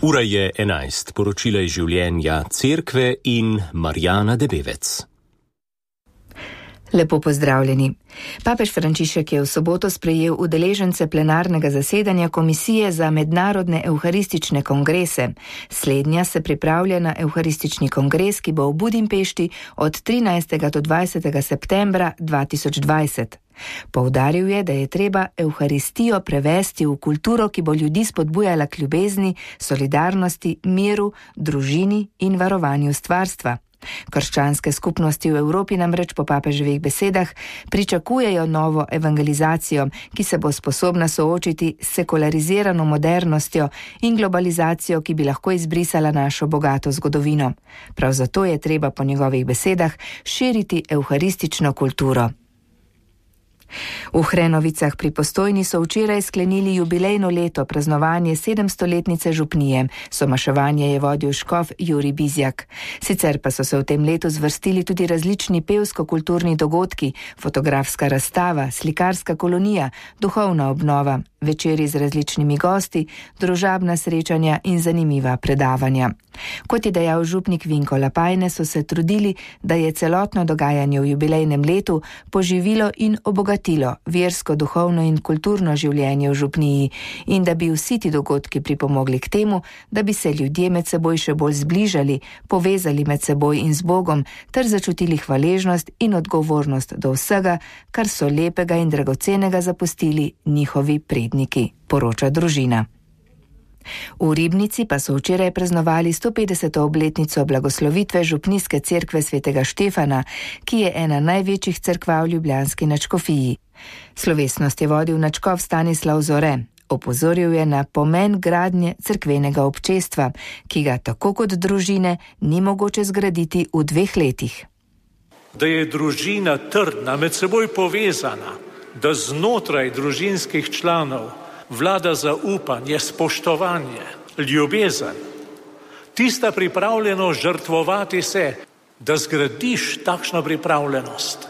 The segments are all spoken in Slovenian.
Ura je 11, poročila iz življenja Cerkve in Marjana Debevec. Lepo pozdravljeni. Papež Frančišek je v soboto sprejel udeležence plenarnega zasedanja Komisije za mednarodne evharistične kongrese. Slednja se pripravlja na evharistični kongres, ki bo v Budimpešti od 13. do 20. septembra 2020. Poudaril je, da je treba evharistijo prevesti v kulturo, ki bo ljudi spodbujala k ljubezni, solidarnosti, miru, družini in varovanju stvarstva. Krščanske skupnosti v Evropi namreč po papeževih besedah pričakujejo novo evangelizacijo, ki se bo sposobna soočiti s sekularizirano modernostjo in globalizacijo, ki bi lahko izbrisala našo bogato zgodovino. Prav zato je treba po njegovih besedah širiti evharistično kulturo. V Hrenovicah pri Postojni so včeraj sklenili jubilejno leto praznovanje 700-letnice župnije. Somaševanje je vodil škof Jurij Bizjak. Sicer pa so se v tem letu zvrstili tudi različni pevsko-kulturni dogodki, fotografska razstava, slikarska kolonija, duhovna obnova, večeri z različnimi gosti, družabna srečanja in zanimiva predavanja. Kot je dejal župnik Vinko Lapajne, so se trudili, da je celotno dogajanje v jubilejnem letu poživilo in obogatilo versko, duhovno in kulturno življenje v župniji in da bi vsi ti dogodki pripomogli k temu, da bi se ljudje med seboj še bolj zbližali, povezali med seboj in z Bogom ter začutili hvaležnost in odgovornost do vsega, kar so lepega in dragocenega zapustili njihovi predniki, poroča družina. V Ribnici pa so včeraj praznovali 150. obletnico blagoslovitve župnijske cerkve svetega Štefana, ki je ena največjih cerkva v ljubljanski nadškofiji. Slovesnost je vodil nadškof Stanislav Zore. Opozoril je na pomen gradnje cerkvenega občestva, ki ga tako kot družine ni mogoče zgraditi v 2 letih. Da je družina trdna, med seboj povezana, da znotraj družinskih članov vlada zaupanje, spoštovanje, ljubezen. Tista pripravljenost žrtvovati se, da zgradiš takšno pripravljenost.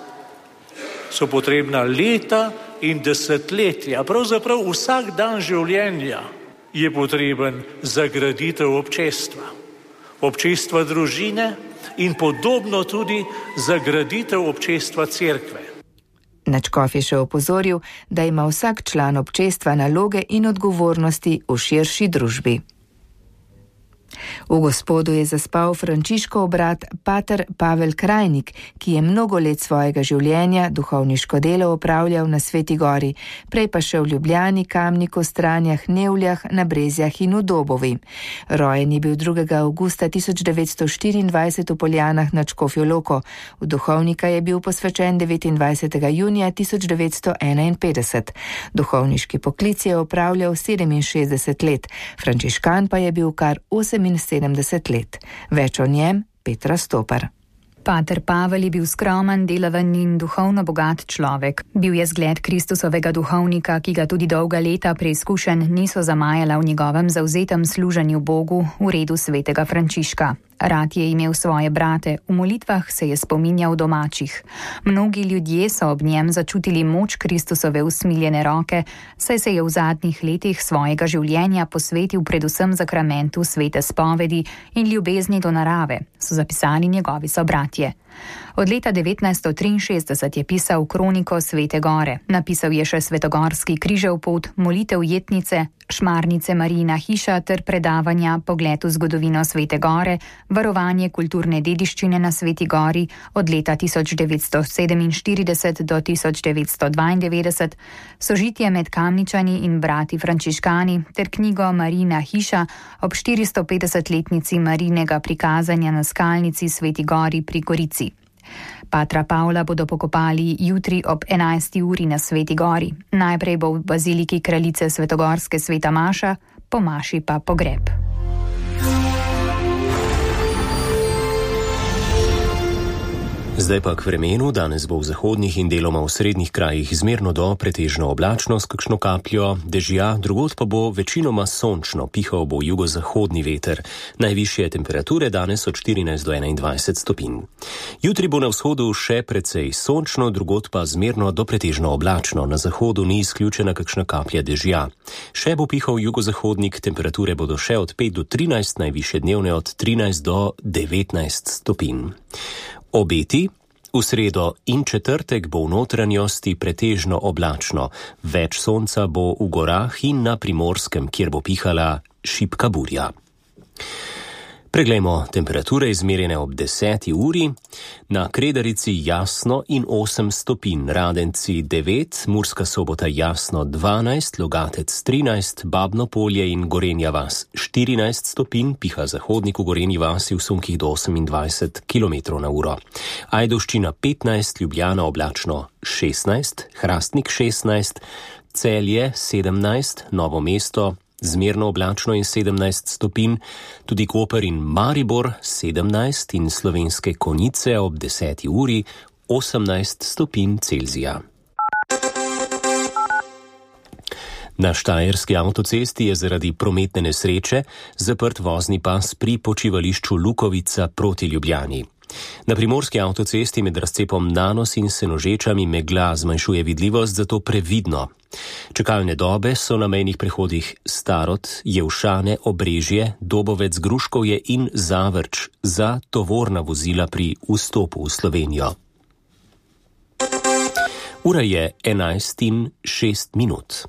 So potrebna leta in desetletja, pravzaprav vsak dan življenja je potreben za graditev občestva. Občestva družine in podobno tudi za graditev občestva cerkve. Nadškof je še opozoril, da ima vsak član občestva naloge in odgovornosti v širši družbi. V Gospodu je zaspal Frančiškov brat pater Pavel Krajnik, ki je mnogo let svojega življenja duhovniško delo opravljal na Sveti Gori, prej pa še v Ljubljani, Kamniku, Stranjah, Nevljah, na Brezjah in v Dobovi. Rojen je bil 2. avgusta 1924 v Poljanah nad Škofjo Loko. V duhovnika je bil posvečen 29. junija 1951. Duhovniški poklic je opravljal 67 let, frančiškan pa je bil kar 78 let. Več o njem Petra Stopar. Pater Pavel je bil skromen, delaven in duhovno bogat človek. Bil je zgled Kristusovega duhovnika, ki ga tudi dolga leta preizkušenj niso zamajala v njegovem zavzetem služenju Bogu v redu svetega Frančiška. Rad je imel svoje brate, v molitvah se je spominjal domačih. Mnogi ljudje so ob njem začutili moč Kristusove usmiljene roke, saj se je v zadnjih letih svojega življenja posvetil predvsem zakramentu svete spovedi in ljubezni do narave, so zapisali njegovi sobratje. Od leta 1963 je pisal kroniko Svete Gore. Napisal je še Svetogorski križev pot, molitev jetnice, Šmarnice Marijina hiša ter predavanja Pogled v zgodovino Svete Gore, varovanje kulturne dediščine na Sveti Gori od leta 1947 do 1992, sožitje med Kamničani in brati frančiškani ter knjigo Marijina hiša ob 450-letnici Marijinega prikazanja na skalnici Sveti Gori pri Gorici. Patra Pavla bodo pokopali jutri ob 11. uri na Sveti Gori. Najprej bo v baziliki kraljice Svetogorske sveta maša, po maši pa pogreb. Zdaj pa k vremenu. Danes bo v zahodnih in deloma v srednjih krajih zmerno do pretežno oblačno s kakšno kapljo dežja, drugod pa bo večinoma sončno, pihal bo jugozahodni veter. Najvišje temperature danes od 14 do 21 stopinj. Jutri bo na vzhodu še precej sončno, drugod pa zmerno do pretežno oblačno. Na zahodu ni izključena kakšna kaplja dežja. Še bo pihal jugozahodnik, temperature bodo še od 5 do 13, najvišje dnevne od 13 do 19 stopinj. Obeti. V sredo in četrtek bo v notranjosti pretežno oblačno. Več sonca bo v gorah in na Primorskem, kjer bo pihala šibka burja. Preglejmo temperature izmerjene ob 10. uri. Na Kredarici jasno in 8 stopinj, Radenci 9, Murska Sobota jasno 12, Logatec 13, Babno Polje in Gorenja vas 14 stopinj, piha zahodnik v Gorenji vasi v sunkih do 28 km/h. Ajdovščina 15, Ljubljana oblačno 16, Hrastnik 16, Celje 17, Novo mesto zmerno oblačno in 17 stopinj, tudi Koper in Maribor 17 in Slovenske Konjice ob 10. uri 18 stopinj Celzija. Na Štajerski avtocesti je zaradi prometne nesreče zaprt vozni pas pri počivališču Lukovica proti Ljubljani. Na Primorski avtocesti med razcepom Nanos in Senožečami megla zmanjšuje vidljivost, zato previdno. Čakalne dobe so na mejnih prehodih Starod, Jevšane, Obrežje, Dobovec, Gruškovje in Zavrč za tovorna vozila pri vstopu v Slovenijo. Ura je 11:06.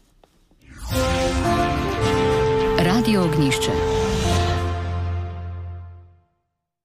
Radio Ognjišče.